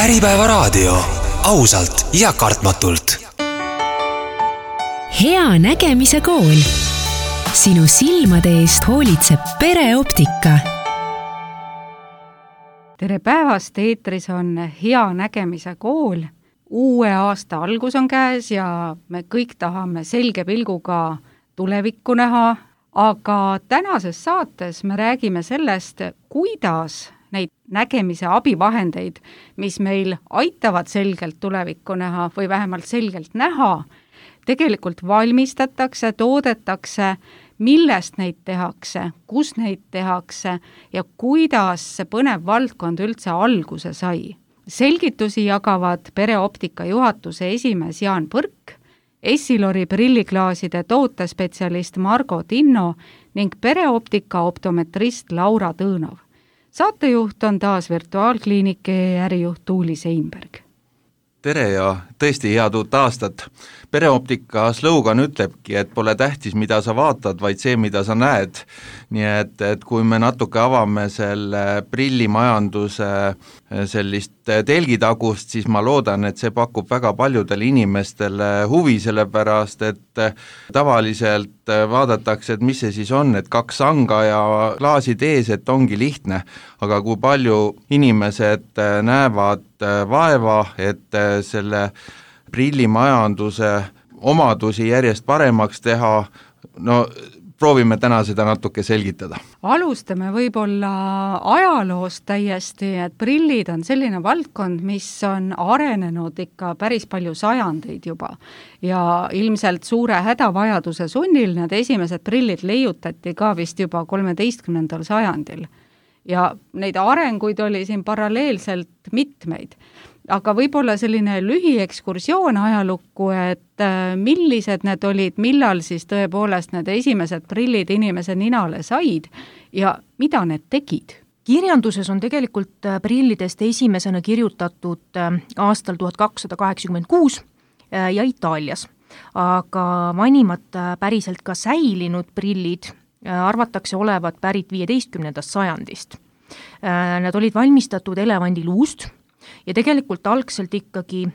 Äripäevaraadio, ausalt ja kartmatult. Hea nägemise kool. Sinu silmade eest hoolitseb Pereoptika. Tere päevast, eetris on Hea nägemise kool. Uue aasta algus on käes ja me kõik tahame selge pilguga tulevikku näha, aga tänases saates me räägime sellest, kuidas neid nägemise abivahendeid, mis meil aitavad selgelt tulevikku näha või vähemalt selgelt näha, tegelikult valmistatakse, toodetakse, millest neid tehakse, kus neid tehakse ja kuidas see põnev valdkond üldse alguse sai. Selgitusi jagavad Pereoptika juhatuse esimees Jaan Põrk, Essilori prilliklaaside tootespetsialist Margo Tinno ning Pereoptika optometrist Laura Tõõnov. Saatejuht on taas virtuaalkliinike ärijuht Tuuli Seinberg. Tere ja tõesti head uut aastat. Pereoptika slogan ütlebki, et pole tähtis, mida sa vaatad, vaid see, mida sa näed. Nii et kui me natuke avame selle prillimajanduse sellist telgitagust, siis ma loodan, et see pakub väga paljudele inimestele huvi, sellepärast, et tavaliselt vaadatakse, et mis see siis on, et kaks sanga ja klaasid ees, et ongi lihtne. Aga kui palju inimesed näevad vaeva, et selle prillimajanduse omadusi järjest paremaks teha, no proovime täna seda natuke selgitada. Alustame võib-olla ajaloost täiesti, et prillid on selline valdkond, mis on arenenud ikka päris palju sajandeid juba. Ja ilmselt suure hädavajaduse sunnil need esimesed prillid leiutati ka vist juba 13. sajandil. Ja neid arenguid oli siin paralleelselt mitmeid. Aga võib-olla selline lühiekskursioon ajalukku, et millised need olid, millal siis tõepoolest need esimesed prillid inimese ninale said ja mida need tegid? Kirjanduses on tegelikult prillidest esimesena kirjutatud aastal 1286 ja Itaalias. Aga vanimad päriselt ka säilinud prillid arvatakse olevat pärit 15. sajandist. Nad olid valmistatud elevandiluust ja tegelikult algselt ikkagi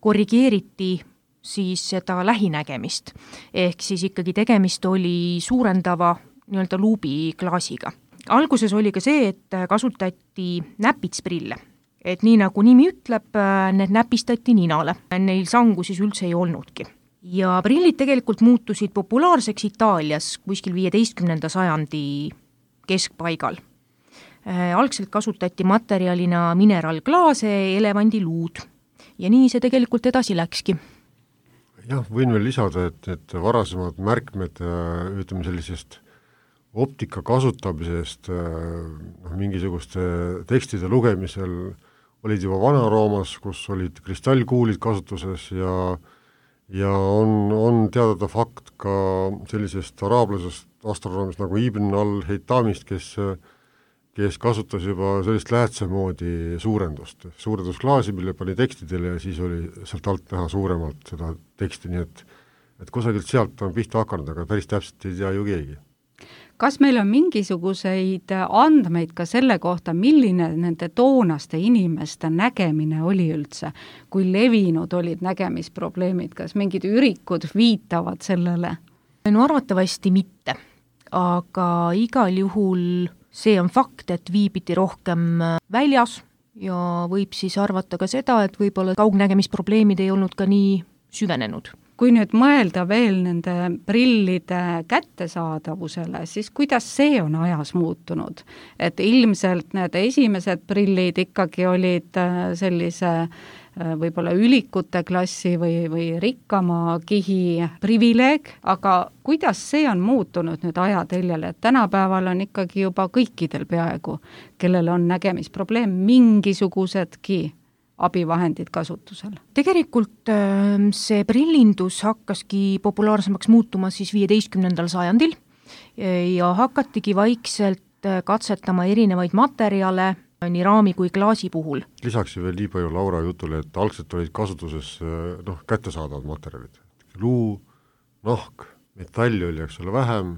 korrigeeriti siis seda lähinägemist. Ehk siis ikkagi tegemist oli suurendava nii-öelda luubiklaasiga. Alguses oli ka see, et kasutati näpitsprille. Et nii nagu nimi ütleb, need näpistati ninale. Neil sangu siis üldse ei olnudki. Ja prillid tegelikult muutusid populaarseks Itaalias kuskil 15. sajandi keskpaigal. Algselt kasutati materjalina mineraalklaase, elevandiluud ja nii see tegelikult edasi läkski. Jah, võin veel lisada, et varasemad märkmed ütleme sellisest optika kasutamisest mingisuguste tekstide lugemisel olid juba Vana-Roomas, kus olid kristallkuulid kasutuses ja on teadada fakt ka sellisest araablasest astronoomist nagu Ibn al-Heitamist, kes kasutas juba sellist lähetse moodi suurendusklaasi, mille pani tekstidele ja siis oli sealt alt näha suuremalt seda teksti, nii et kusagilt sealt on pihta hakanud, aga päris täpselt ei tea ju keegi. Kas meil on mingisuguseid andmeid ka selle kohta, milline nende toonaste inimeste nägemine oli üldse, kui levinud olid nägemisprobleemid, kas mingid ürikud viitavad sellele? No arvatavasti mitte, aga igal juhul see on fakt, et viibiti rohkem väljas ja võib siis arvata ka seda, et võib-olla kaugnägemisprobleemid ei olnud ka nii süvenenud. Kui nüüd mõelda veel nende prillide kättesaadavusele, siis kuidas see on ajas muutunud? Et ilmselt need esimesed prillid ikkagi olid sellise võib-olla ülikute klassi või rikkama kihi privileeg, aga kuidas see on muutunud nüüd ajateljele, et tänapäeval on ikkagi juba kõikidel peaaegu, kellel on nägemisprobleem, mingisugusedki abivahendid kasutusel? Tegelikult see prillindus hakkaski populaarsemaks muutuma siis 15. sajandil ja hakatigi vaikselt katsetama erinevaid materjale nii raami kui klaasi puhul. Lisaks veel nii palju Laura jutule, et algselt olid kasutuses kättesaadavad materjalid. Luu, nahk, metalli oli, eks ole, vähem,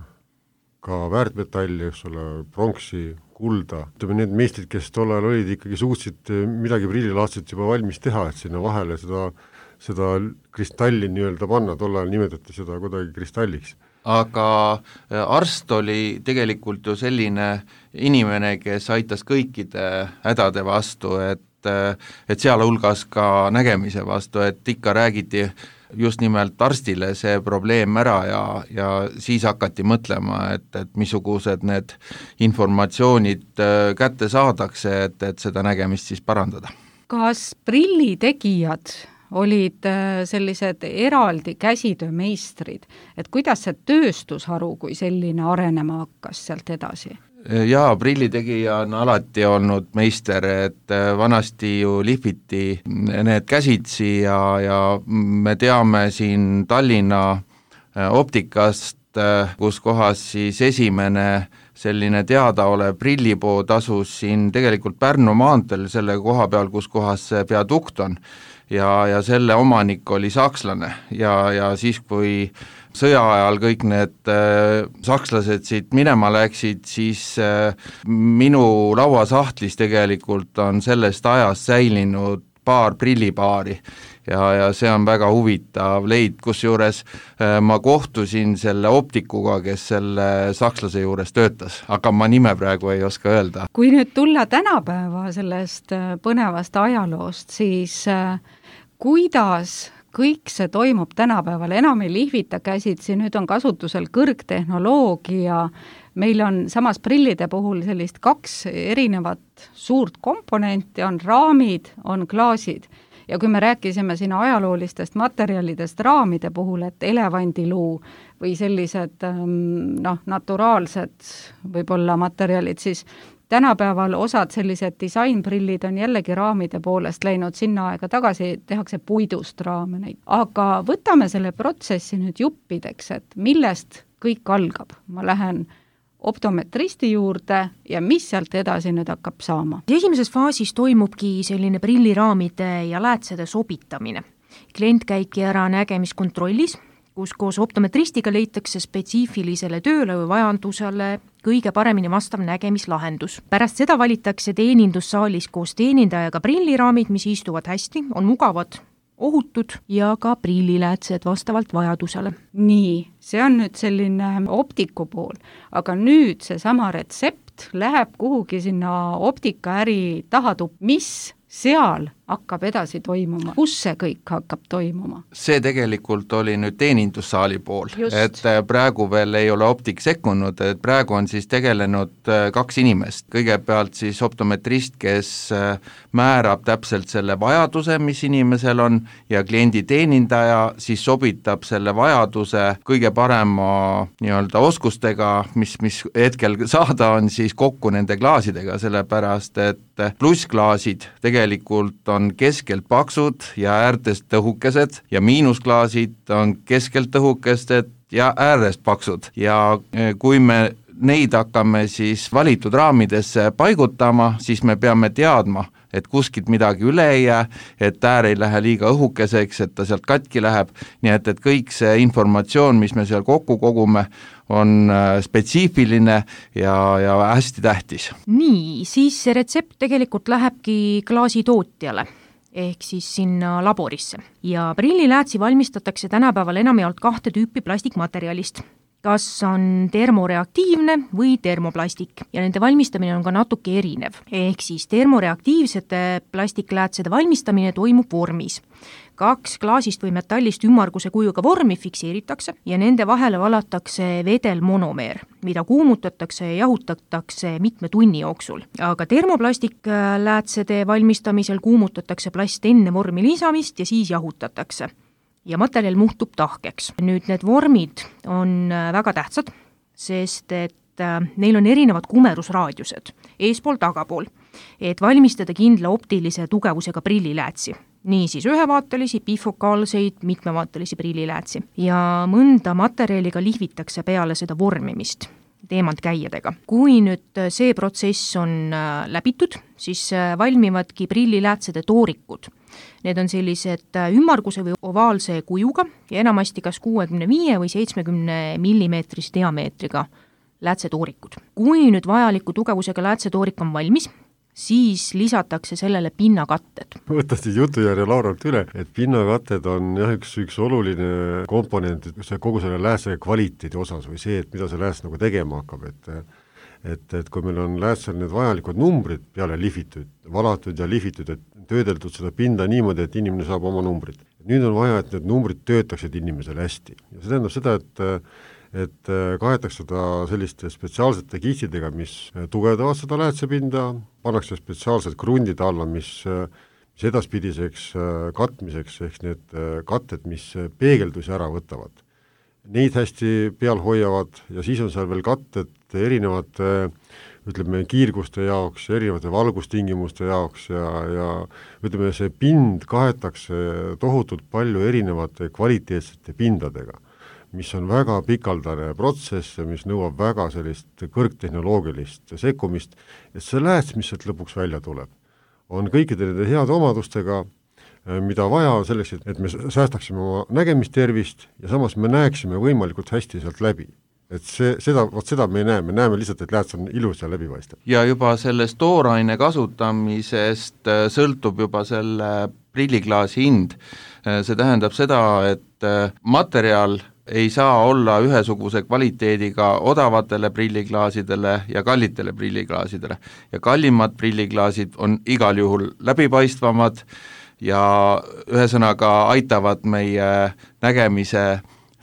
ka väärtmetalli, eks ole, pronksi, kulda. Ütleme, need meistrid, kes tol ajal olid, ikkagi suutsid midagi prillilaadset juba valmis teha, et sinna vahele seda kristalli nii-öelda panna, tol ajal nimetati seda kuidagi kristalliks. Aga arst oli tegelikult ju selline inimene, kes aitas kõikide hädade vastu, et sealhulgas ka nägemise vastu, et ikka räägiti just nimelt arstile see probleem ära ja siis hakati mõtlema, et missugused need informatsioonid kätte saadakse, et seda nägemist siis parandada. Kas prillitegijad olid sellised eraldi käsitöömeistrid, et kuidas see tööstusharu kui selline arenema hakkas sealt edasi? Jaa, prillitegija on alati olnud meister, et vanasti ju lihviti need käsitsi ja me teame siin Tallinna optikast, kus kohas siis esimene selline teadaolev prillipood asus siin tegelikult Pärnu maanteel selle koha peal, kus kohas see viadukt on. Ja selle omanik oli sakslane ja siis, kui sõja ajal kõik need sakslased siit minema läksid, siis minu lauasahtlis tegelikult on sellest ajast säilinud paar prillipaari ja see on väga huvitav leid, kusjuures ma kohtusin selle optikuga, kes selle sakslase juures töötas, aga ma nime praegu ei oska öelda. Kui nüüd tulla tänapäeva sellest põnevast ajaloost, siis kuidas kõik see toimub tänapäeval, enam ei lihvita käsitsi, nüüd on kasutusel kõrgtehnoloogia, meil on samas prillide puhul sellist 2 erinevat suurt komponenti, on raamid, on klaasid. Ja kui me rääkisime siin ajaloolistest materjalidest raamide puhul, et elevandiluu või sellised naturaalsed võib-olla materjalid, siis tänapäeval osad sellised disainprillid on jällegi raamide poolest läinud sinna aega tagasi, tehakse puidust raame neid. Aga võtame selle protsessi nüüd juppideks, et millest kõik algab. Ma lähen optometristi juurde ja mis sealt edasi nüüd hakkab saama? Esimeses faasis toimubki selline prilliraamide ja läätsede sobitamine. Klient käibki ära nägemiskontrollis, kus koos optometristiga leitakse spetsiifilisele tööle või vajadusele kõige paremini vastav nägemislahendus. Pärast seda valitakse teenindussaalis koos teenindajaga prilliraamid, mis istuvad hästi, on mugavad, ohutud ja ka prilliläätsed vastavalt vajadusele. Nii, see on nüüd selline optiku pool, aga nüüd seesama retsept läheb kuhugi sinna optikaäri tahatup, mis seal hakkab edasi toimuma, kus see kõik hakkab toimuma? See tegelikult oli nüüd teenindussaali pool, et praegu veel ei ole optik sekkunud, et praegu on siis tegelenud 2 inimest. Kõigepealt siis optometrist, kes määrab täpselt selle vajaduse, mis inimesel on, ja kliendi teenindaja siis sobitab selle vajaduse kõige parema nii-öelda oskustega, mis hetkel saada on, siis kokku nende klaasidega, sellepärast et plussklaasid tegelikult on keskelt paksud ja äärtest õhukesed ja miinusklaasid on keskelt õhukesed ja äärest paksud. Ja kui me neid hakkame siis valitud raamidesse paigutama, siis me peame teadma, et kuskilt midagi üle ei jää, et äär ei lähe liiga õhukeseks, et ta sealt katki läheb, nii et kõik see informatsioon, mis me seal kokku kogume, on spetsiifiline ja hästi tähtis. Nii, siis see retsept tegelikult lähebki klaasitootjale ehk siis sinna laborisse. Ja prilliläätsi valmistatakse tänapäeval enamjaolt 2 tüüpi plastikmaterjalist. Kas on termoreaktiivne või termoplastik ja nende valmistamine on ka natuke erinev. Ehk siis termoreaktiivsete plastikläätsede valmistamine toimub vormis. 2 klaasist või metallist ümmarguse kujuga vormi fikseeritakse ja nende vahele valatakse vedelmonomeer, mida kuumutatakse ja jahutatakse mitme tunni jooksul. Aga termoplastikläätsede valmistamisel kuumutatakse plast enne vormi lisamist ja siis jahutatakse. Ja materjal muhtub tahkeks. Nüüd need vormid on väga tähtsad, sest et neil on erinevad kumerusraadiused, eespool, tagapool, et valmistada kindla optilise tugevusega prilliläätsi. Nii siis ühevaatelisi, bifokaalseid, mitmevaatelisi prilliläätsi. Ja mõnda materjaliga lihvitakse peale seda vormimist teemantkäiedega. Kui nüüd see protsess on läbitud, siis valmivadki prilliläätsede toorikud. Need on sellised ümmarguse või ovaalse kujuga ja enamasti kas 65 või 70 millimeetrise diameetriga läätsetoorikud. Kui nüüd vajaliku tugevusega läätsetoorik on valmis, siis lisatakse sellele pinnakatted. Võtta siis jutujärje Lauralt üle, et pinnakatted on jah, üks oluline komponent kogu selle läätse kvaliteedi osas või see, et mida see lääts nagu tegema hakkab, et kui meil on läätsel need vajalikud numbrid peale lihvitud, valatud ja lihvitud, et töödeldud seda pinda niimoodi, et inimene saab oma numbrid. Nüüd on vaja, et need numbrid töötaksid inimesele hästi. Ja see tähendab seda, et kaetakse seda selliste spetsiaalsete kihtidega, mis tugevdavad seda läätsepinda, pannakse spetsiaalsed krundid alla, mis edaspidiseks katmiseks, ehk need katted, mis peegeldusi ära võtavad. Neid hästi peal hoiavad ja siis on seal veel katted erinevate ütleme kiirguste jaoks, erinevate valgustingimuste jaoks ja ütleme, see pind kaetakse tohutult palju erinevate kvaliteetsete pindadega, mis on väga pikaldane protsess ja mis nõuab väga sellist kõrgtehnoloogilist sekkumist, et see lääts, mis sealt lõpuks välja tuleb, on kõikide nende heade omadustega, mida vaja selleks, et me säästaksime oma nägemistervist ja samas me näeksime võimalikult hästi sealt läbi. Et seda me ei näe, me näeme lihtsalt, et lääts on ilus ja läbipaistev. Ja juba sellest tooraine kasutamisest sõltub juba selle prilliklaasi hind. See tähendab seda, et materjal ei saa olla ühesuguse kvaliteediga odavatele prilliklaasidele ja kallitele prilliklaasidele. Ja kallimad prilliklaasid on igal juhul läbipaistvamad ja ühesõnaga aitavad meie nägemise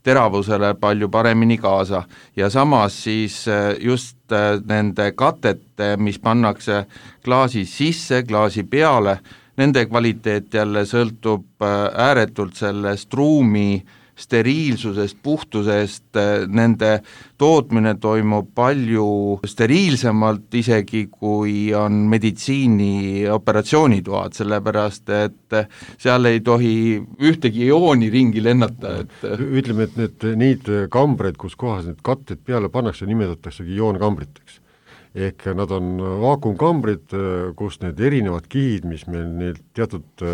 teravusele palju paremini kaasa ja samas siis just nende katete, mis pannakse klaasi sisse, klaasi peale, nende kvaliteet jälle sõltub ääretult sellest ruumi steriilsusest, puhtusest, nende tootmine toimub palju steriilsemalt isegi, kui on meditsiini operatsioonitoad, sellepärast et seal ei tohi ühtegi iooni ringi lennata. Ütleme, et neid kambreid, kus kohas need katted peale pannakse, nimetataksegi ioonekambriteks. Ehk nad on vaakumkambrid, kus need erinevad kihid, mis meil need teatud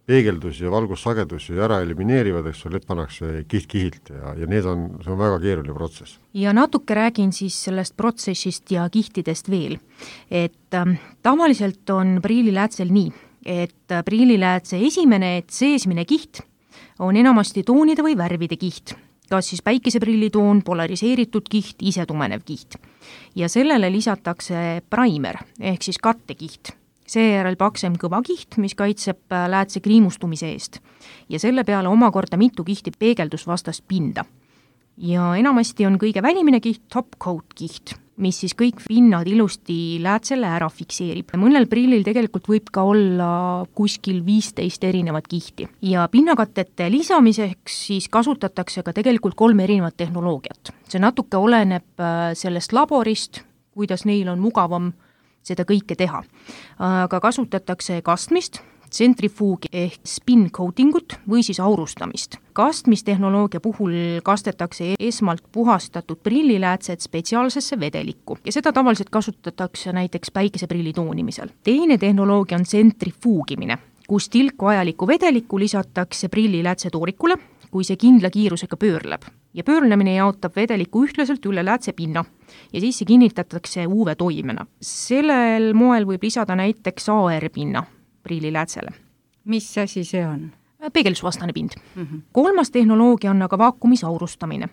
peegeldus ja valgussagedusi ära elimineerivad, eks need pannakse kiht-kihilt ja see on väga keeruline protsess. Ja natuke räägin siis sellest protsessist ja kihtidest veel. Et tavaliselt on prilliläätsel nii, et prilliläätse esimene seesmine kiht on enamasti toonide või värvide kiht, kas siis päikeseprillitoon, polariseeritud kiht, isetumenev kiht. Ja sellele lisatakse primer ehk siis kattekiht. Seejärel paksem kõvakiht, mis kaitseb läätse kriimustumise eest ja selle peale omakorda mitu kihti peegeldusvastast pinda. Ja enamasti on kõige välimine kiht top coat kiht, mis siis kõik pinnad ilusti läätsele ära fikseerib. Mõnel prillil tegelikult võib ka olla kuskil 15 erinevat kihti ja pinnakatete lisamiseks siis kasutatakse ka tegelikult 3 erinevat tehnoloogiat. See natuke oleneb sellest laborist, kuidas neil on mugavam seda kõike teha. Aga kasutatakse kastmist, tsentrifuugi ehk spin coatingut või siis aurustamist. Kastmistehnoloogia puhul kastetakse esmalt puhastatud prilliläätset spetsiaalsesse vedelikku ja seda tavaliselt kasutatakse näiteks päikeseprilli toonimisel. Teine tehnoloogia on tsentrifuugimine, kus tilk vajalikku vedelikku lisatakse prilliläätse toorikule, kui see kindla kiirusega pöörleb. Ja pöörlemine jaotab vedeliku ühtlaselt üle läätse pinna ja siis see kinnitatakse UV-toimena. Sellel moel võib lisada näiteks AR-pinna prilliläätsele. Mis asi see on? Peegeldusvastane pind. Kolmas tehnoloogia on aga vaakumis aurustamine.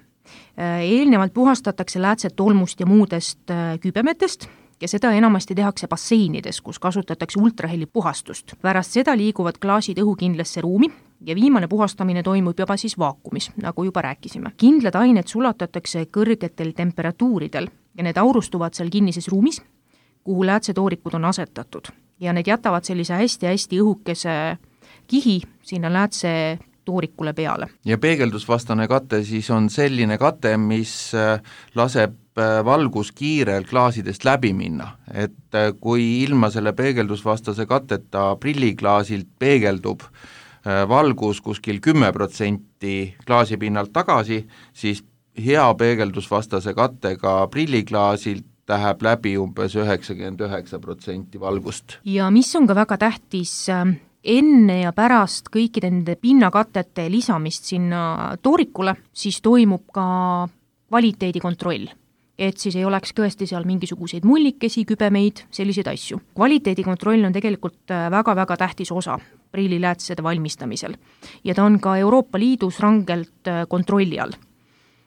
Eelnevalt puhastatakse läätset tolmust ja muudest kübemetest ja seda enamasti tehakse basseinides, kus kasutatakse ultraheli puhastust. Pärast seda liiguvad klaasid õhukindlasse ruumi ja viimane puhastamine toimub juba siis vaakumis, nagu juba rääkisime. Kindlad ained sulatatakse kõrgetel temperatuuridel ja need aurustuvad seal kinnises ruumis, kuhu läätsetoorikud on asetatud ja need jätavad sellise hästi-hästi õhukese kihi sinna läätse toorikule peale. Ja peegeldusvastane kate siis on selline kate, mis laseb valguskiirel klaasidest läbi minna, et kui ilma selle peegeldusvastase kateta prilliklaasilt peegeldub valgus kuskil 10% klaasipinnalt tagasi, siis hea peegeldusvastase kattega prilliklaasilt läheb läbi umbes 99% valgust. Ja mis on ka väga tähtis, enne ja pärast kõikide nende pinnakatete lisamist sinna toorikule, siis toimub ka kvaliteedikontroll. et siis ei oleks tõesti seal mingisuguseid mullikesi, kübemeid, selliseid asju. Kvaliteedikontroll on tegelikult väga-väga tähtis osa prilliläätsede valmistamisel ja ta on ka Euroopa Liidus rangelt kontrolli all.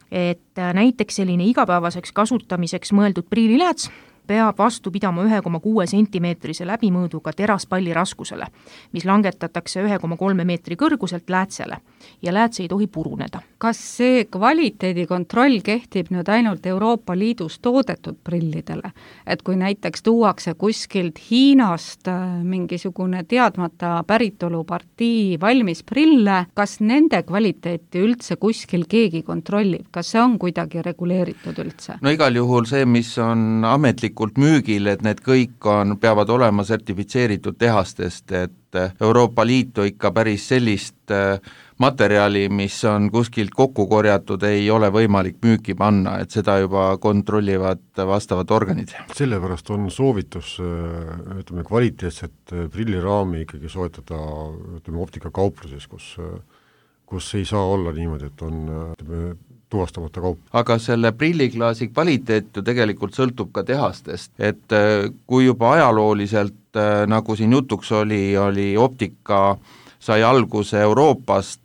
Et näiteks selline igapäevaseks kasutamiseks mõeldud prillilääts peab vastu pidama 1,6 sentimeetrise läbimõõduga teraspalli raskusele, mis langetatakse 1,3 meetri kõrguselt läätsele ja lääts ei tohi puruneda. Kas see kvaliteedikontroll kehtib nüüd ainult Euroopa Liidus toodetud prillidele? Et kui näiteks tuuakse kuskilt Hiinast mingisugune teadmata päritolupartii valmis prille, kas nende kvaliteeti üldse kuskil keegi kontrollib? Kas see on kuidagi reguleeritud üldse? No igal juhul see, mis on ametlikult müügil, et need kõik peavad olema sertifitseeritud tehastest, et Euroopa Liitu ikka päris sellist materjali, mis on kuskilt kokku korjatud, ei ole võimalik müüki panna, et seda juba kontrollivad vastavad organid. Sellepärast on soovitus kvaliteetset prilliraami ikkagi soetada optikakaupluses, kus ei saa olla niimoodi, et on tuvastamata kaup. Aga selle prilliklaasi kvaliteet ju tegelikult sõltub ka tehastest, et kui juba ajalooliselt, nagu siin jutuks oli optika sai alguse Euroopast,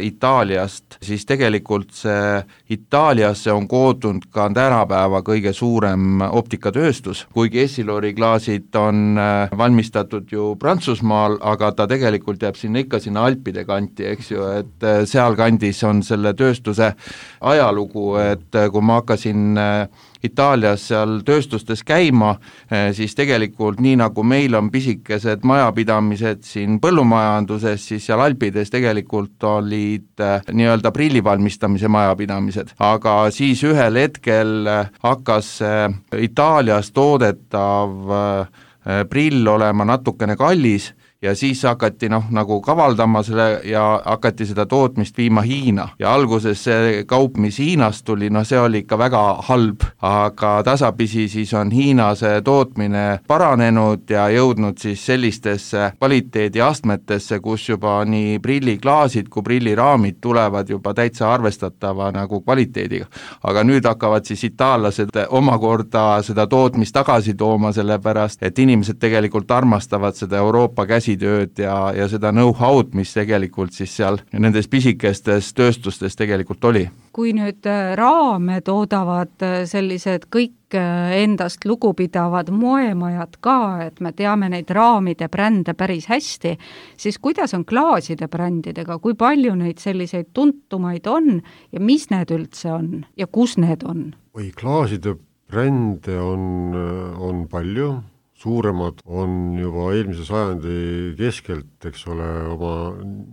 Itaaliast, siis tegelikult see Itaaliasse on koodunud ka tänapäeva kõige suurem optikatööstus, kuigi Essilori klaasid on valmistatud ju Prantsusmaal, aga ta tegelikult jääb sinna Alpide kanti, eks ju, et seal kandis on selle tööstuse ajalugu, et kui ma hakkasin Itaalias seal tööstustes käima, siis tegelikult nii nagu meil on pisikesed majapidamised siin põllumajanduses, siis seal Alpides tegelikult olid nii-öelda prillivalmistamise majapidamised, aga siis ühel hetkel hakkas Itaalias toodetav prill olema natukene kallis ja siis hakati nagu kavaldama selle ja hakati seda tootmist viima Hiina ja alguses see kaup, mis Hiinast tuli, see oli ikka väga halb, aga tasapisi siis on Hiina see tootmine paranenud ja jõudnud siis sellistesse kvaliteediastmetesse, kus juba nii prilliklaasid kui prilliraamid tulevad juba täitsa arvestatava nagu kvaliteediga. Aga nüüd hakkavad siis itaallased omakorda seda tootmist tagasi tooma, sellepärast et inimesed tegelikult armastavad seda Euroopa käsitööd ja seda know-how'd, mis tegelikult siis seal nendes pisikestes tööstustes tegelikult oli. Kui nüüd raame toodavad sellised kõik endast lugupidavad moemajad ka, et me teame neid raamide brände päris hästi, siis kuidas on klaaside brändidega, kui palju neid selliseid tuntumaid on ja mis need üldse on ja kus need on? Klaaside brände on palju, suuremad on juba eelmise sajandi keskelt, eks ole, oma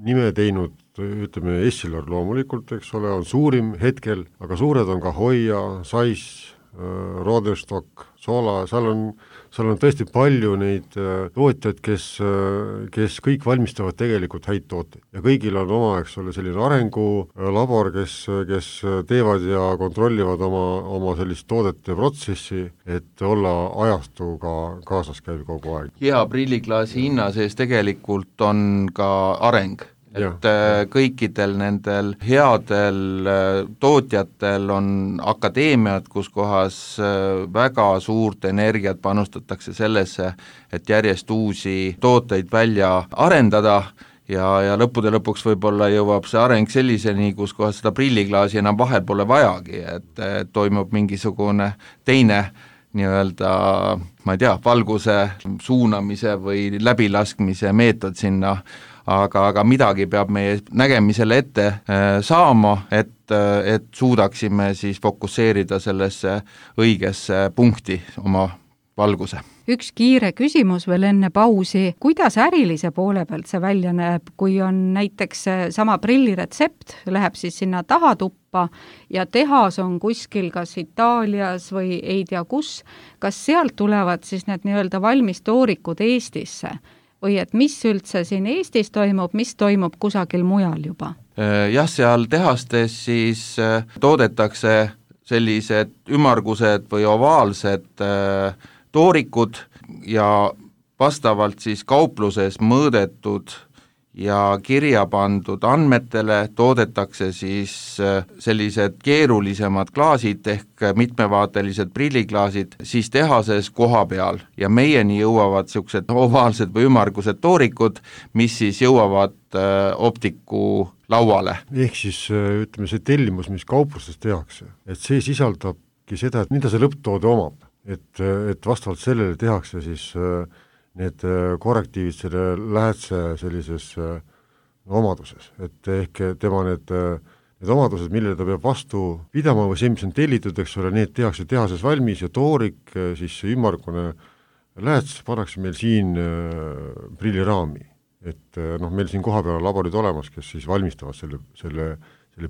nime teinud, ütleme Essilor loomulikult, eks ole, on suurim hetkel, aga suured on ka Hoia, Zeiss, Roderstock, Sola, seal on tõesti palju neid tootjaid, kes kõik valmistavad tegelikult häid tooteid. Ja kõigil on oma, eks ole, selline arengulabor, kes teevad ja kontrollivad oma sellist toodete protsessi, et olla ajastuga kaasas käib kogu aeg. Hea prilliklaasi hinna sees tegelikult on ka areng. Et kõikidel nendel headel tootjatel on akadeemiad, kus kohas väga suurt energiat panustatakse sellesse, et järjest uusi tooteid välja arendada ja lõppude lõpuks võib-olla jõuab see areng selliseni, kus kohas seda prilliklaasi enam vahel pole vajagi, et toimub mingisugune teine nii-öelda, ma ei tea, valguse suunamise või läbilaskmise meetod sinna, aga midagi peab meie nägemisele ette saama, et suudaksime siis fokusseerida sellesse õigesse punkti oma valguse. Üks kiire küsimus veel enne pausi, kuidas ärilise poole pealt see välja näeb, kui on näiteks sama prilliretsept, läheb siis sinna tahatuppa ja tehas on kuskil kas Itaalias või ei tea kus, kas sealt tulevad siis need nii-öelda valmistoorikud Eestisse? Või et mis üldse siin Eestis toimub, mis toimub kusagil mujal juba? Jah, seal tehastes siis toodetakse sellised ümmargused või ovaalsed toorikud ja vastavalt siis kaupluses mõõdetud ja kirja pandud andmetele toodetakse siis sellised keerulisemad klaasid ehk mitmevaatelised prilliklaasid siis tehases koha peal ja meieni jõuavad niisugused ovaalsed või ümmargused toorikud, mis siis jõuavad optiku lauale. Ehk siis ütleme, see tellimus, mis kauplustes tehakse, et see sisaldabki seda, et mida see lõpptoode omab, et vastavalt sellele tehakse siis need korrektiivid selle lähedse sellises omaduses, et ehk tema need omadused, millele ta peab vastu pidama või see, mis on tellitud, eks ole, need tehakse tehases valmis ja toorik, siis ümmargune lähedses pannakse meil siin prilliraami, et meil siin kohapeal laborid olemas, kes siis valmistavad selle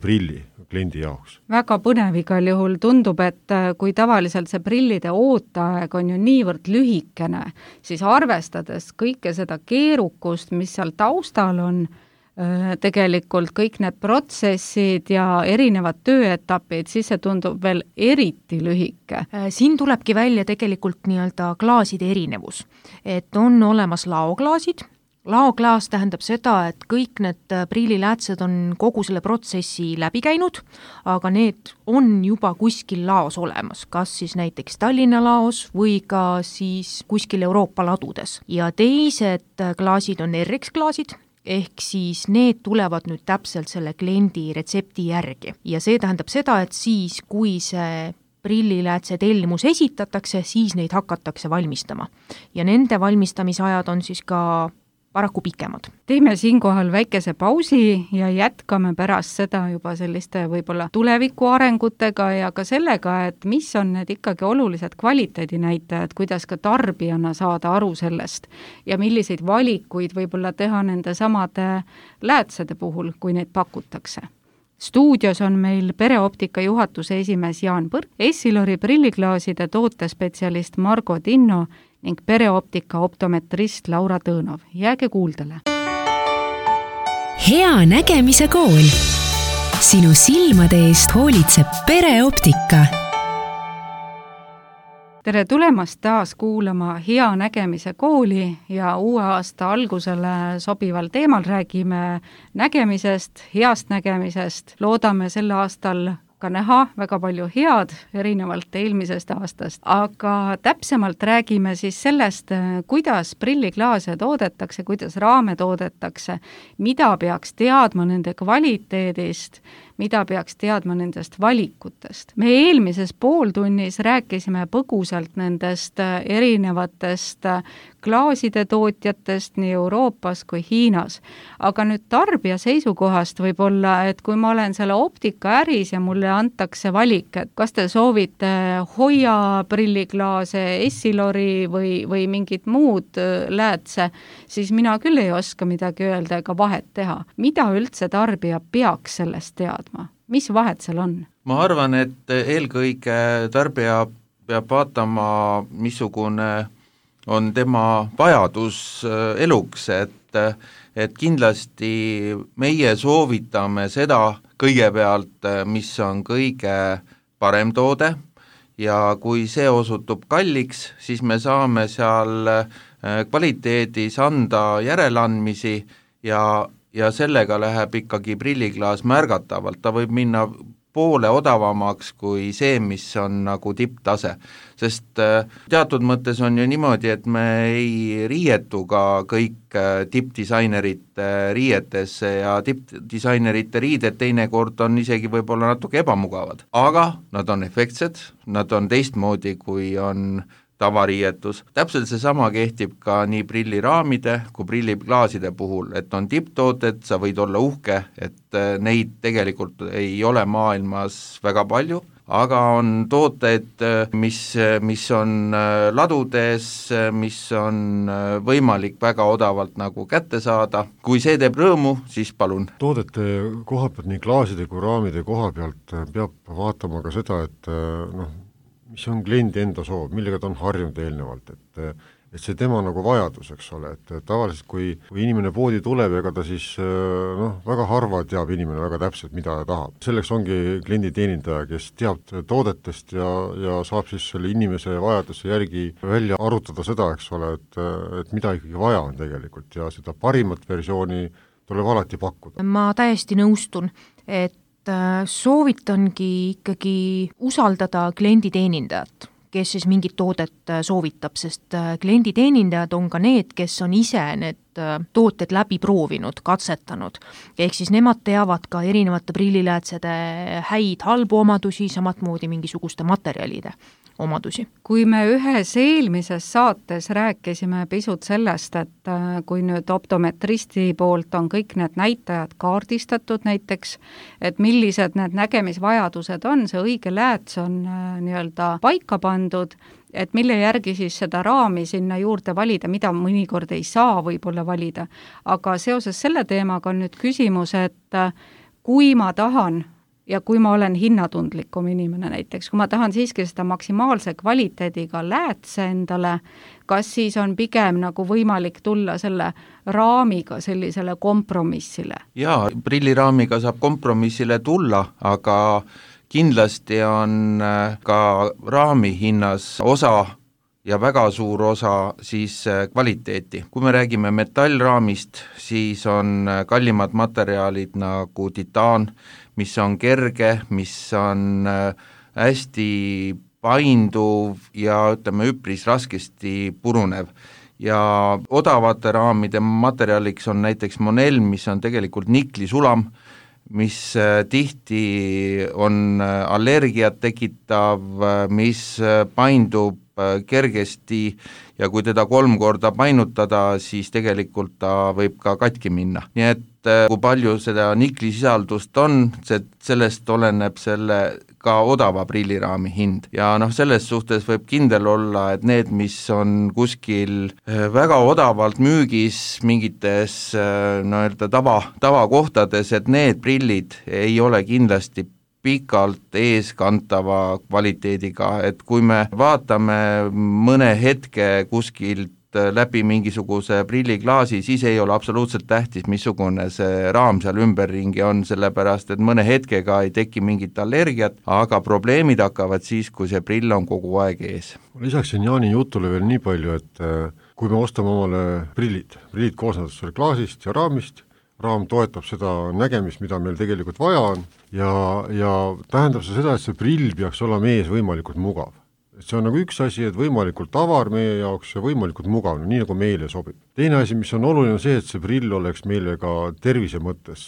prilli kliendi jaoks. Väga põnev igal juhul, tundub, et kui tavaliselt see prillide ooteaeg on ju niivõrd lühikene, siis arvestades kõike seda keerukust, mis seal taustal on, tegelikult kõik need protsessid ja erinevad tööetapid, siis see tundub veel eriti lühike. Siin tulebki välja tegelikult nii-öelda klaaside erinevus, et on olemas laoklaasid. Laoklaas tähendab seda, et kõik need prilliläätsed on kogu selle protsessi läbi käinud, aga need on juba kuskil laos olemas, kas siis näiteks Tallinna laos või ka siis kuskil Euroopa ladudes. Ja teised klaasid on RX-klaasid, ehk siis need tulevad nüüd täpselt selle kliendi retsepti järgi. Ja see tähendab seda, et siis, kui see prilliläätse tellimus esitatakse, siis neid hakatakse valmistama. Ja nende valmistamisajad on siis ka paraku pikemad. Teeme siinkohal väikese pausi ja jätkame pärast seda juba selliste võib-olla tuleviku arengutega ja ka sellega, et mis on need ikkagi olulised kvaliteedinäitajad, kuidas ka tarbijana saada aru sellest ja milliseid valikuid võib-olla teha nende samade läätsede puhul, kui neid pakutakse. Stuudios on meil Pereoptika juhatuse esimees Jaan Põrk, Essilori prilliklaaside tootespetsialist Margo Tinno ning Pereoptika optometrist Laura Tõõnov. Jääge kuuldele! Hea nägemise kool. Sinu silmade eest hoolitseb Pereoptika. Tere tulemast taas kuulama Hea nägemise kooli ja uue aasta algusele sobival teemal räägime nägemisest, heast nägemisest. Loodame sel aastal ka näha väga palju head, erinevalt eelmisest aastast, aga täpsemalt räägime siis sellest, kuidas prilliklaase toodetakse, kuidas raame toodetakse, mida peaks teadma nende kvaliteedist, mida peaks teadma nendest valikutest. Me eelmises pooltunnis rääkisime põgusalt nendest erinevatest klaaside tootjatest nii Euroopas kui Hiinas. Aga nüüd tarbija seisukohast võib-olla, et kui ma olen selle optikaäris ja mulle antakse valik, et kas te soovite Hoia prilliklaase, Essilori või mingit muud läätse, siis mina küll ei oska midagi öelda ega vahet teha. Mida üldse tarbija peaks sellest teadma? Mis vahet seal on? Ma arvan, et eelkõige tarbija peab vaatama, missugune on tema vajadus eluks, et kindlasti meie soovitame seda kõigepealt, mis on kõige parem toode ja kui see osutub kalliks, siis me saame seal kvaliteedis anda järeleandmisi ja sellega läheb ikkagi prilliklaas märgatavalt, ta võib minna poole odavamaks kui see, mis on nagu tipptase. Sest teatud mõttes on ju niimoodi, et me ei riietu ka kõik tippdisainerite riietesse ja tippdisainerite riided teinekord on isegi võib-olla natuke ebamugavad. Aga nad on efektsed, nad on teistmoodi, kui on tavariietus. Täpselt see sama kehtib ka nii prilliraamide kui prilliklaaside puhul, et on tipptooted, sa võid olla uhke, et neid tegelikult ei ole maailmas väga palju, aga on tooted, mis on ladudes, mis on võimalik väga odavalt nagu kätte saada. Kui see teeb rõõmu, siis palun. Toodete koha pealt, nii klaaside kui raamide koha pealt peab vaatama ka seda, et mis on kliendi enda soov, millega ta on harjunud eelnevalt, et see tema nagu vajadus, eks ole, et tavaliselt kui inimene poodi tuleb, ega ta siis väga harva teab inimene väga täpselt, mida ta tahab. Selleks ongi kliendi teenindaja, kes teab toodetest ja saab siis selle inimese vajaduse järgi välja arutada seda, eks ole, et mida ikkagi vaja on tegelikult ja seda parimat versiooni tuleb alati pakkuda. Ma täiesti nõustun, et soovitangi ikkagi usaldada klienditeenindajat, kes siis mingit toodet soovitab, sest klienditeenindajad on ka need, kes on ise need tooted läbi proovinud, katsetanud. Ehk siis nemad teavad ka erinevate prilliläätsede häid halbu omadusi, samatmoodi mingisuguste materjalide omadusi. Kui me ühes eelmises saates rääkisime pisut sellest, et kui nüüd optometristi poolt on kõik need näitajad kaardistatud näiteks, et millised need nägemisvajadused on, see õige lääts on nii-öelda paika pandud, et mille järgi siis seda raami sinna juurde valida, mida mõnikord ei saa võib-olla valida. Aga seoses selle teemaga on nüüd küsimus, et kui ma tahan ja kui ma olen hinnatundlikum inimene näiteks, kui ma tahan siiski seda maksimaalse kvaliteediga läätse endale, kas siis on pigem nagu võimalik tulla selle raamiga sellisele kompromissile? Jaa, prilliraamiga saab kompromissile tulla, aga kindlasti on ka raami hinnas osa ja väga suur osa siis kvaliteeti. Kui me räägime metallraamist, siis on kallimad materjalid nagu titaan, mis on kerge, mis on hästi painduv ja ütleme üpris raskesti purunev. Ja odavate raamide materjaliks on näiteks Monel, mis on tegelikult niklisulam, mis tihti on allergiat tekitav, mis paindub kergesti ja kui teda 3 korda painutada, siis tegelikult ta võib ka katki minna. Nii et kui palju seda niklisisaldust on, sellest oleneb selle ka odava prilliraami hind. Ja selles suhtes võib kindel olla, et need, mis on kuskil väga odavalt müügis mingites tavakohtades, et need prillid ei ole kindlasti pikalt eeskantava kvaliteediga, et kui me vaatame mõne hetke kuskilt läbi mingisuguse prilliklaasi, siis ei ole absoluutselt tähtis, missugune see raam seal ümberringi on, sellepärast et mõne hetkega ei teki mingit allergiat, aga probleemid hakkavad siis, kui see prill on kogu aeg ees. Lisaksin Jaani jutule veel nii palju, et kui me ostame omale prillid koosnevad klaasist ja raamist, raam toetab seda nägemist, mida meil tegelikult vaja on ja tähendab seda, et see prill peaks olema ees võimalikult mugav. See on nagu üks asi, et võimalikult avar meie jaoks ja võimalikult mugav, nii nagu meile sobib. Teine asi, mis on oluline, on see, et see prill oleks meile ka tervise mõttes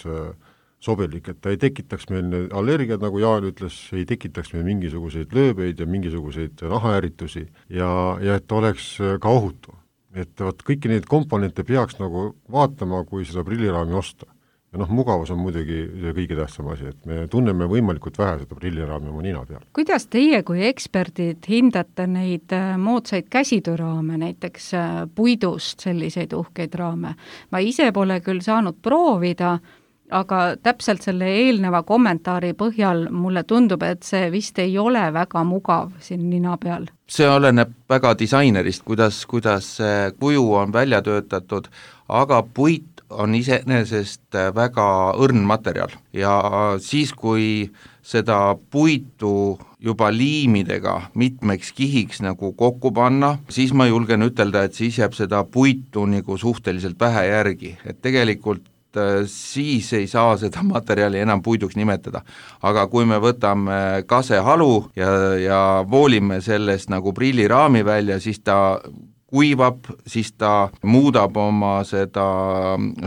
sobilik, et ta ei tekitaks meil allergiad, nagu Jaan ütles, ei tekitaks meil mingisuguseid lööbeid ja mingisuguseid nahaäritusi ja et ta oleks ka ohutu. Et kõiki neid komponente peaks nagu vaatama, kui seda prilliraami osta. Ja mugavus on muidugi kõige tähtsam asi, et me tunneme võimalikult vähe seda prilliraami oma nina peal. Kuidas teie kui eksperdid hindate neid moodsaid käsitööraame, näiteks puidust selliseid uhkeid raame? Ma ise pole küll saanud proovida, aga täpselt selle eelneva kommentaari põhjal mulle tundub, et see vist ei ole väga mugav siin nina peal. See oleneb väga disainerist, kuidas see kuju on välja töötatud, aga puit on iseenesest väga õrn materjal ja siis, kui seda puitu juba liimidega mitmeks kihiks nagu kokku panna, siis ma julgen ütelda, et siis jääb seda puitu nagu suhteliselt vähe järgi, et tegelikult siis ei saa seda materjali enam puiduks nimetada. Aga kui me võtame kasehalu ja voolime sellest nagu prilliraami välja, siis ta kuivab, siis ta muudab oma seda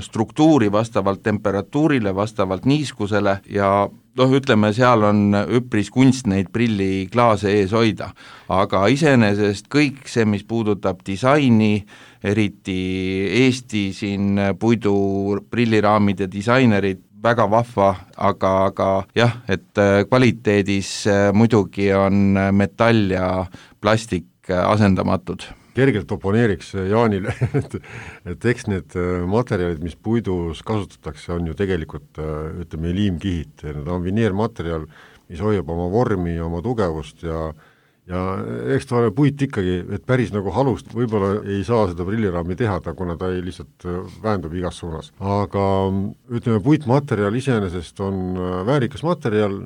struktuuri vastavalt temperatuurile, vastavalt niiskusele ja ütleme, seal on üpris kunst neid prilliklaase ees hoida. Aga iseenesest kõik see, mis puudutab disaini, eriti Eesti siin puidu prilliraamide disainerid, väga vahva, aga jah, et kvaliteedis muidugi on metall ja plastik asendamatud. Kergelt oponeeriks Jaanile, et eks need materjalid, mis puidus kasutatakse, on ju tegelikult, ütleme, liimkihid. Need on vineermaterjal, mis hoiab oma vormi ja oma tugevust ja eks ta ole puit ikkagi, et päris nagu halust võib-olla ei saa seda prilliraami teha, kuna ta ei lihtsalt vähendub igas suunas. Aga ütleme, puitmaterjal iseenesest on väärikas materjal,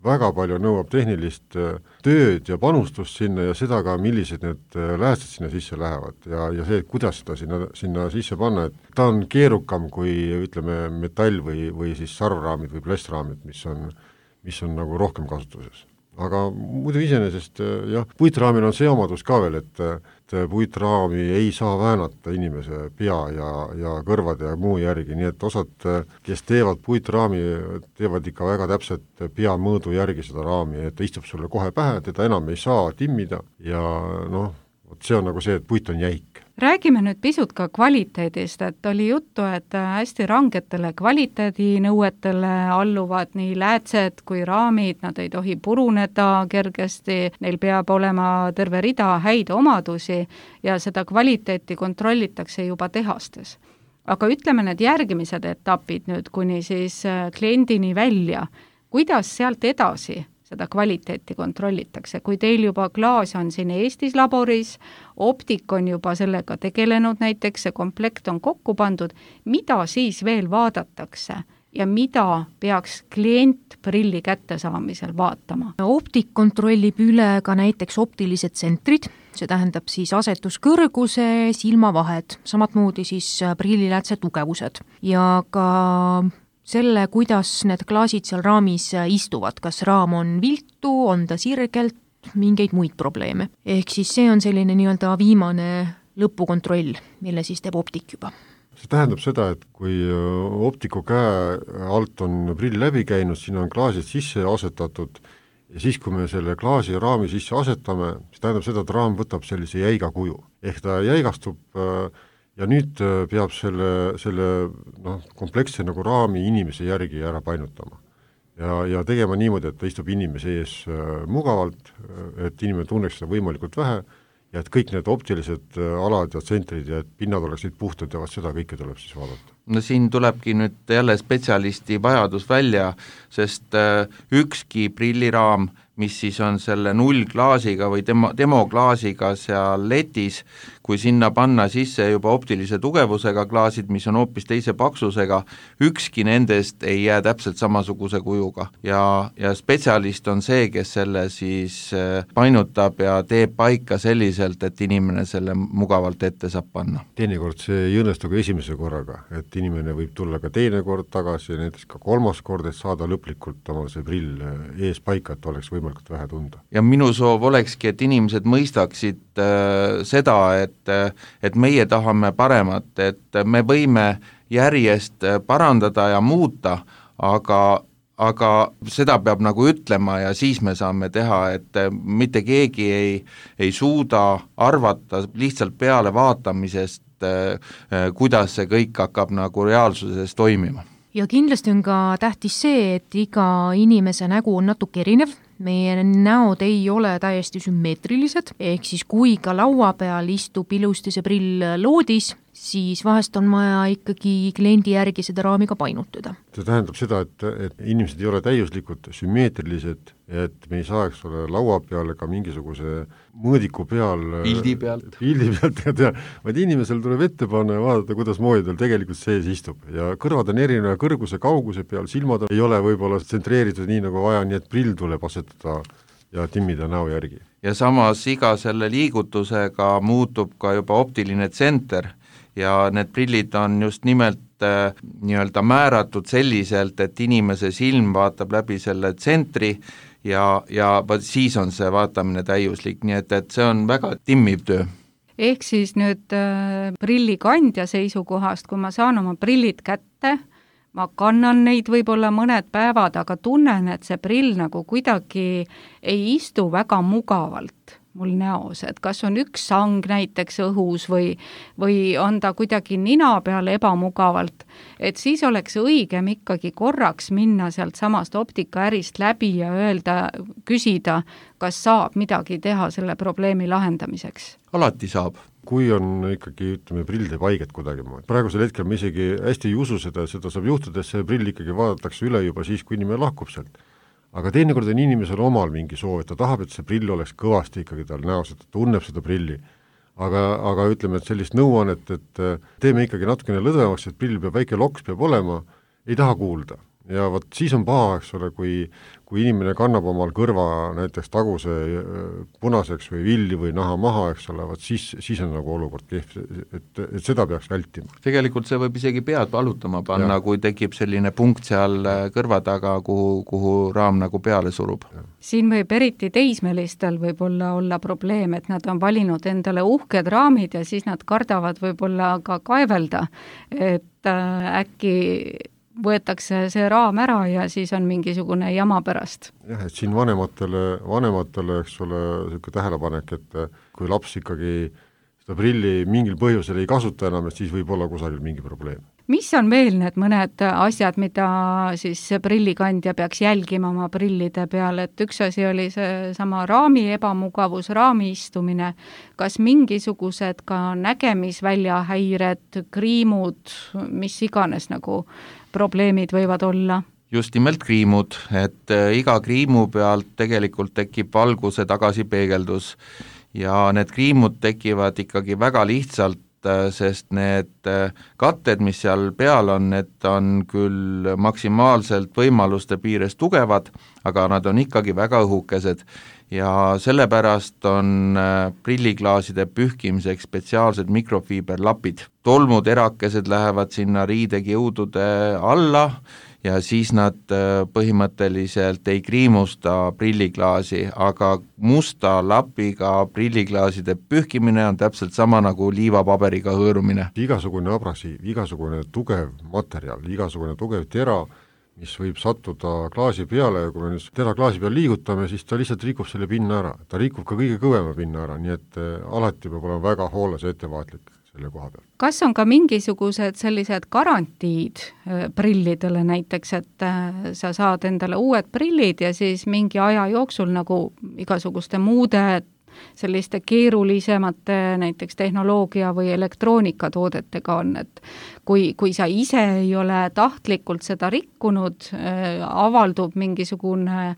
väga palju nõuab tehnilist tööd ja panustust sinna ja seda ka, millised need läästed sinna sisse lähevad ja see, kuidas seda sinna sisse panna, et ta on keerukam kui ütleme metall või siis sarvraamid või plastraamid, mis on nagu rohkem kasutuses. Aga muidu iseenesest jah, puitraamil on see omadus ka veel, et puitraami ei saa väänata inimese pea ja kõrvade ja muu järgi, nii et osad, kes teevad puitraami, teevad ikka väga täpselt pea mõõdu järgi seda raami, et ta istub sulle kohe pähe, teda enam ei saa timmida ja see on nagu see, et puit on jäik. Räägime nüüd pisut ka kvaliteedist, et oli juttu, et hästi rangetele kvaliteedinõuetele alluvad nii läätsed kui raamid, nad ei tohi puruneda kergesti, neil peab olema terve rida häid omadusi ja seda kvaliteeti kontrollitakse juba tehastes. Aga ütleme need järgimised etapid nüüd kuni siis kliendini välja, kuidas sealt edasi seda kvaliteeti kontrollitakse. Kui teil juba klaas on siin Eestis laboris, optik on juba sellega tegelenud näiteks, see komplekt on kokku pandud, mida siis veel vaadatakse ja mida peaks klient prilli kättesaamisel vaatama? Optik kontrollib üle ka näiteks optilised tsentrid, see tähendab siis asetuskõrguse, silmavahed, samatmoodi siis prilliläätse tugevused ja ka selle, kuidas need klaasid seal raamis istuvad, kas raam on viltu, on ta sirgelt, mingeid muid probleeme. Ehk siis see on selline nii-öelda viimane lõpukontroll, mille siis teeb optik juba. See tähendab seda, et kui optiku käe alt on prill läbi käinud, siin on klaasid sisse asetatud ja siis, kui me selle klaasi raami sisse asetame, see tähendab seda, et raam võtab sellise jäiga kuju. Ehk ta jäigastub ja nüüd peab selle kompleksse nagu raami inimese järgi ära painutama. Ja tegema niimoodi, et ta istub inimese ees mugavalt, et inimene tunneks seda võimalikult vähe ja et kõik need optilised alad ja tsentrid ja et pinnad oleksid puhtad ja seda kõike tuleb siis vaadata. No siin tulebki nüüd jälle spetsialisti vajadus välja, sest ükski prilliraam, mis siis on selle nullklaasiga või demoklaasiga seal letis, kui sinna panna sisse juba optilise tugevusega klaasid, mis on hoopis teise paksusega, ükski nendest ei jää täpselt samasuguse kujuga. Ja spetsialist on see, kes selle siis painutab ja teeb paika selliselt, et inimene selle mugavalt ette saab panna. Teinekord see ei õnnestu ka esimese korraga, et inimene võib tulla ka teine kord tagasi ja näiteks ka kolmas kord, et saada lõplikult omal see prill ees paika, et oleks võimalikult vähe tunda. Ja minu soov olekski, et inimesed mõistaksid seda, et meie tahame paremat, et me võime järjest parandada ja muuta, aga seda peab nagu ütlema ja siis me saame teha, et mitte keegi ei suuda arvata lihtsalt peale vaatamisest, kuidas see kõik hakkab nagu reaalsuses toimima. Ja kindlasti on ka tähtis see, et iga inimese nägu on natuke erinev, meie näod ei ole täiesti sümmeetrilised, ehk siis kui ka laua peal istub ilusti see prill loodis, siis vahest on vaja ikkagi kliendi järgi seda raami ka painutada. See tähendab seda, et inimesed ei ole täiuslikult sümmeetrilised, et me ei saaks ole laua peal ka mingisuguse mõõdiku peal pildi pealt, vaid inimesel tuleb ette panna ja vaadata, kuidas moodi tal tegelikult sees istub. Ja kõrvad on erineva kõrguse, kauguse peal, silmad ei ole võib-olla tsentreeritud nii nagu vaja, nii et prill tuleb asetada ja timmida näo järgi. Ja samas iga selle liigutusega muutub ka juba optiline tsenter ja need prillid on just nimelt nii-öelda määratud selliselt, et inimese silm vaatab läbi selle tsentri ja siis on see vaatamine täiuslik, nii et see on väga timmiv töö. Ehk siis nüüd prillikandja seisukohast, kui ma saan oma prillid kätte, ma kannan neid võib-olla mõned päevad, aga tunnen, et see prill nagu kuidagi ei istu väga mugavalt mul näos, et kas on üks sang näiteks õhus või on ta kuidagi nina peal ebamugavalt, et siis oleks õigem ikkagi korraks minna sealt samast optikaärist läbi ja küsida, kas saab midagi teha selle probleemi lahendamiseks. Alati saab. Kui on ikkagi, prill teeb haiget kuidagi. Praegusel hetkel me isegi hästi ei usu seda saab juhtuda, et see prill ikkagi vaadatakse üle juba siis, kui inimene lahkub sealt. Aga teinekord on inimesel omal mingi soov, et ta tahab, et see prill oleks kõvasti ikkagi tal näos, et ta tunneb seda prilli. Aga ütleme, et sellist nõuannet, et teeme ikkagi natukene lõdvemaks, et prill peab väike loks peab olema, ei taha kuulda. ja vot siis on paha, eks ole, kui inimene kannab omal kõrva näiteks taguse punaseks või villi või naha maha, eks ole, vot siis on nagu olukord kehv, et seda peaks vältima. Tegelikult see võib isegi pead valutama panna, kui tekib selline punkt seal kõrva taga, kuhu raam nagu peale surub. Siin võib eriti teismelistel võib-olla olla probleem, et nad on valinud endale uhked raamid ja siis nad kardavad võib-olla ka kaevelda, et äkki võetakse see raam ära ja siis on mingisugune jama pärast. Jah, et siin vanematele, eks ole, selline tähelepanek, et kui laps ikkagi seda prilli mingil põhjusel ei kasuta enam, et siis võib olla kusagil mingi probleem. Mis on veel need mõned asjad, mida siis prillikandja peaks jälgima oma prillide peale, et üks asi oli see sama raami ebamugavus, raami istumine, kas mingisugused ka nägemisväljahäired, kriimud, mis iganes nagu probleemid võivad olla? Just nimelt kriimud, et iga kriimu pealt tegelikult tekib valguse tagasipeegeldus ja need kriimud tekivad ikkagi väga lihtsalt, sest need katted, mis seal peal on, need on küll maksimaalselt võimaluste piires tugevad, aga nad on ikkagi väga õhukesed ja sellepärast on prilliklaaside pühkimiseks spetsiaalsed mikrofiiberlapid. Tolmuterakesed lähevad sinna riidekiudude alla ja siis nad põhimõtteliselt ei kriimusta prilliklaasi, aga musta lapiga prilliklaaside pühkimine on täpselt sama nagu liivapaberiga hõõrumine. Igasugune abrasiiv, igasugune tugev materjal, igasugune tugev tera, mis võib sattuda klaasi peale ja kui me nüüd tera klaasi peal liigutame, siis ta lihtsalt rikub selle pinna ära. Ta rikub ka kõige kõvema pinna ära, nii et alati peab olema väga hooles ja ettevaatlik selle koha peal. Kas on ka mingisugused sellised garantiid prillidele näiteks, et sa saad endale uued prillid ja siis mingi aja jooksul nagu igasuguste muude selliste keerulisemate näiteks tehnoloogia või elektroonikatoodetega on, et kui sa ise ei ole tahtlikult seda rikkunud, avaldub mingisugune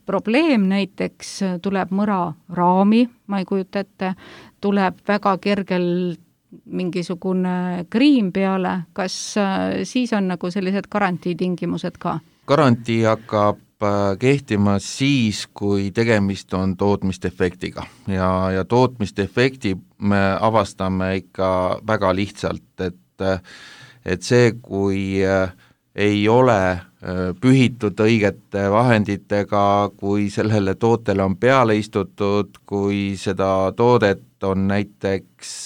probleem, näiteks tuleb mõra raami, ma ei kujuta ette, tuleb väga kergel mingisugune kriim peale, kas siis on nagu sellised garantiitingimused ka? Garantii hakkab kehtima siis, kui tegemist on tootmisdefektiga ja tootmisdefekti me avastame ikka väga lihtsalt, et see, kui ei ole pühitud õigete vahenditega, kui sellele tootele on peale istutud, kui seda toodet on näiteks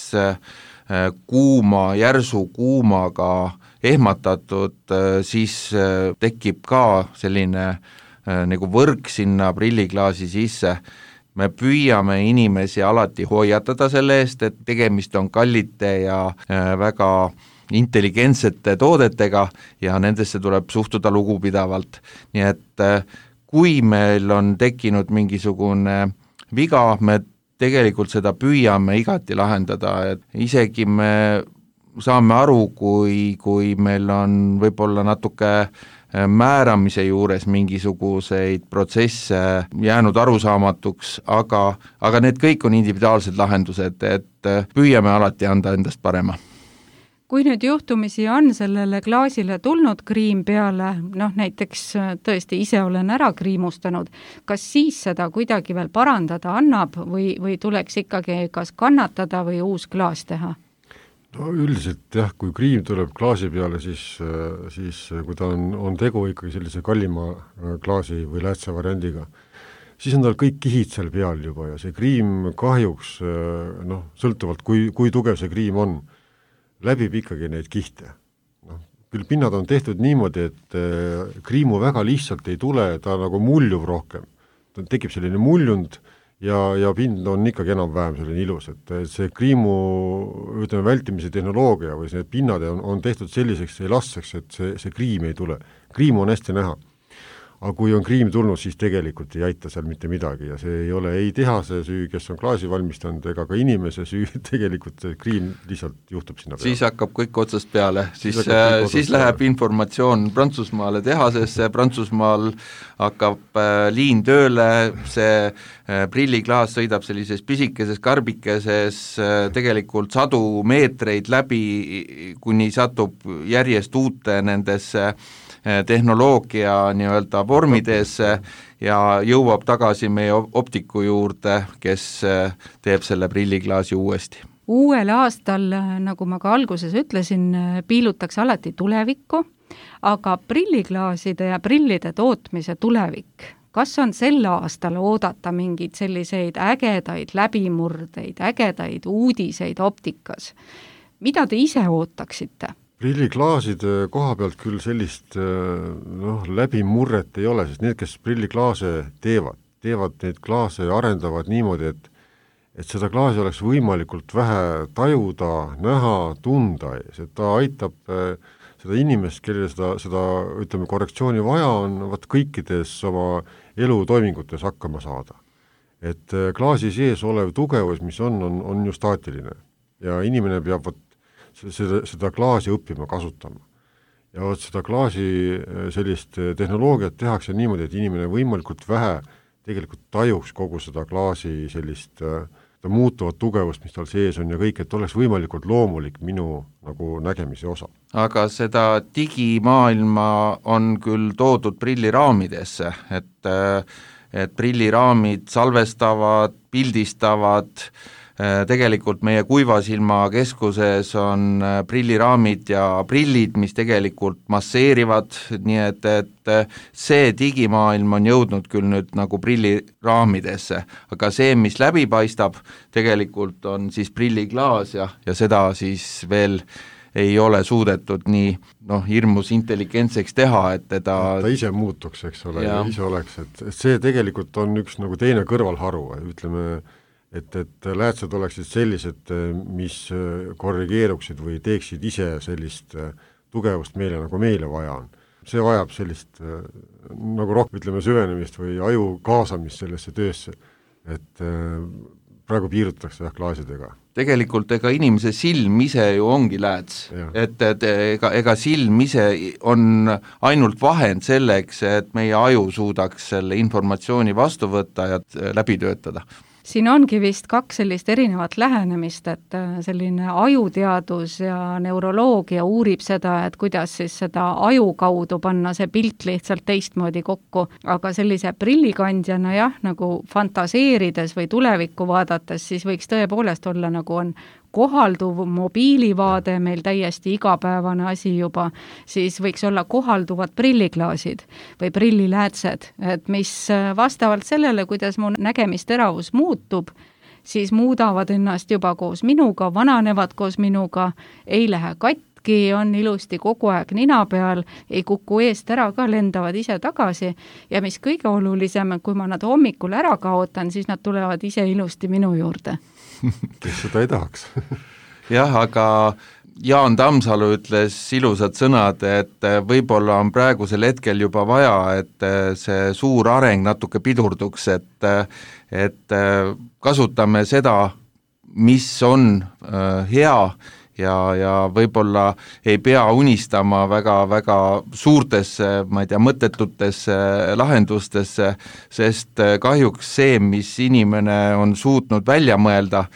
järsu kuumaga ehmatatud, siis tekib ka selline nagu võrk sinna prilliklaasi sisse. Me püüame inimesi alati hoiatada selle eest, et tegemist on kallite ja väga intelligentsete toodetega ja nendesse tuleb suhtuda lugupidavalt. Nii et kui meil on tekkinud mingisugune viga, me tegelikult seda püüame igati lahendada, et isegi me saame aru, kui meil on võib-olla natuke määramise juures mingisuguseid protsesse jäänud arusaamatuks, aga need kõik on individuaalsed lahendused, et püüame alati anda endast parema. Kui nüüd juhtumisi on sellele klaasile tulnud kriim peale, näiteks tõesti ise olen ära kriimustanud, kas siis seda kuidagi veel parandada annab või tuleks ikkagi kas kannatada või uus klaas teha? No üldiselt jah, kui kriim tuleb klaasi peale, siis kui ta on tegu ikkagi sellise kallima klaasi või läätse variandiga, siis on tal kõik kihid seal peal juba ja see kriim kahjuks, sõltuvalt kui tugev see kriim on, läbib ikkagi neid kihte. Küll pinnad on tehtud niimoodi, et kriimu väga lihtsalt ei tule, ta nagu muljuv rohkem. Ta tekib selline muljund ja pind on ikkagi enam-vähem selline ilus, et see kriimu vältimise tehnoloogia või see pinnad on tehtud selliseks elastseks, et see kriim ei tule. Kriim on hästi näha. aga kui on kriim tulnud, siis tegelikult ei aita seal mitte midagi ja see ei ole ei tehase süü, kes on klaasi valmistanud, ega ka inimese süü, tegelikult see kriim lihtsalt juhtub sinna peale. Siis hakkab kõik otsast peale, siis läheb informatsioon Prantsusmaale tehasesse, Prantsusmaal hakkab liin tööle, see prilliklaas sõidab sellises pisikeses karbikeses tegelikult sadu meetreid läbi, kuni satub järjest uute nendesse tehnoloogia nii-öelda vormidesse ja jõuab tagasi meie optiku juurde, kes teeb selle prilliklaasi uuesti. Uuel aastal, nagu ma ka alguses ütlesin, piilutakse alati tulevikku, aga prilliklaaside ja prillide tootmise tulevik, kas on sel aastal oodata mingeid selliseid ägedaid läbimurdeid, ägedaid uudiseid optikas? Mida te ise ootaksite? Prilliklaaside koha pealt küll sellist läbimurret ei ole, sest need, kes prilliklaase teevad neid klaase ja arendavad niimoodi, et seda klaasi oleks võimalikult vähe tajuda, näha, tunda, see ta aitab seda inimest, kellele seda ütleme, korrektsiooni vaja on, kõikides oma elutoimingutes hakkama saada. Et klaasi sees olev tugevus, mis on ju staatiline ja inimene peab seda klaasi õppima kasutama. Ja seda klaasi sellist tehnoloogiat tehakse niimoodi, et inimene võimalikult vähe tegelikult tajuks kogu seda klaasi sellist muutuvat tugevust, mis tal sees on ja kõik, et oleks võimalikult loomulik minu nagu nägemise osa. Aga seda digimaailma on küll toodud prilliraamidesse, et prilliraamid salvestavad, pildistavad, tegelikult meie kuivasilma keskuses on prilliraamid ja prillid, mis tegelikult masseerivad, nii et see digimaailm on jõudnud küll nüüd nagu prilliraamidesse, aga see, mis läbi paistab, tegelikult on siis prilliklaas ja seda siis veel ei ole suudetud nii hirmus intelligentseks teha, et ta ise muutuks, eks ole, ja ise oleks, et see tegelikult on üks nagu teine kõrvalharu, ütleme, et läätsed oleksid sellised, mis korrigeeruksid või teeksid ise sellist tugevust meile, nagu meile vaja on. See vajab sellist nagu rohkem, ütleme, süvenemist või aju kaasamist sellesse töösse, et praegu piirutatakse klaasidega. Tegelikult ega inimese silm ise ju ongi lääts, et ega silm ise on ainult vahend selleks, et meie aju suudaks selle informatsiooni vastu võtta ja läbi töötada. Siin ongi vist kaks sellist erinevat lähenemist, et selline ajuteadus ja neuroloogia uurib seda, et kuidas siis seda aju kaudu panna see pilt lihtsalt teistmoodi kokku, aga sellise prillikandjana jah, nagu fantaseerides või tulevikku vaadates, siis võiks tõepoolest olla nagu on kohalduv mobiilivaade, meil täiesti igapäevane asi juba, siis võiks olla kohalduvad prilliklaasid või prilliläätsed, et mis vastavalt sellele, kuidas mu nägemisteravus muutub, siis muudavad ennast juba koos minuga, vananevad koos minuga, ei lähe katki, on ilusti kogu aeg nina peal, ei kuku eest ära ka, lendavad ise tagasi ja mis kõige olulisem, kui ma nad hommikul ära kaotan, siis nad tulevad ise ilusti minu juurde. Kes seda ei tahaks? Jah, aga Jaan Tammsalu ütles ilusad sõnad, et võib-olla on praegusel hetkel juba vaja, et see suur areng natuke pidurduks, et kasutame seda, mis on hea ja võib-olla ei pea unistama väga suurtesse, ma ei tea, mõttetutesse lahendustesse, sest kahjuks see, mis inimene on suutnud välja mõelda,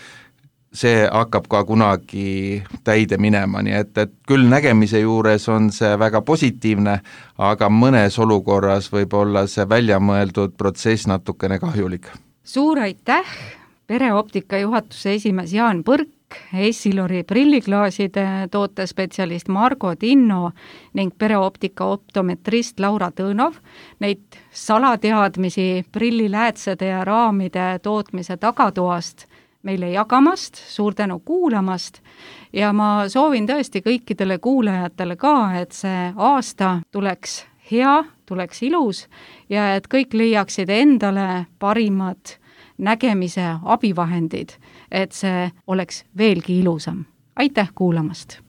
see hakkab ka kunagi täide minema, nii et küll nägemise juures on see väga positiivne, aga mõnes olukorras võib olla see välja mõeldud protsess natukene kahjulik. Suur aitäh, Pereoptika juhatuse esimees Jaan Põrk, Essilori prilliklaaside tootespetsialist Margo Tinno ning Pereoptika optometrist Laura Tõnov, neid salateadmisi prilliläätsede ja raamide tootmise tagatoast meile jagamast, suur tänu kuulamast ja ma soovin tõesti kõikidele kuulajatele ka, et see aasta tuleks hea, tuleks ilus ja et kõik leiaksid endale parimad nägemise abivahendid, et see oleks veelgi ilusam. Aitäh kuulamast!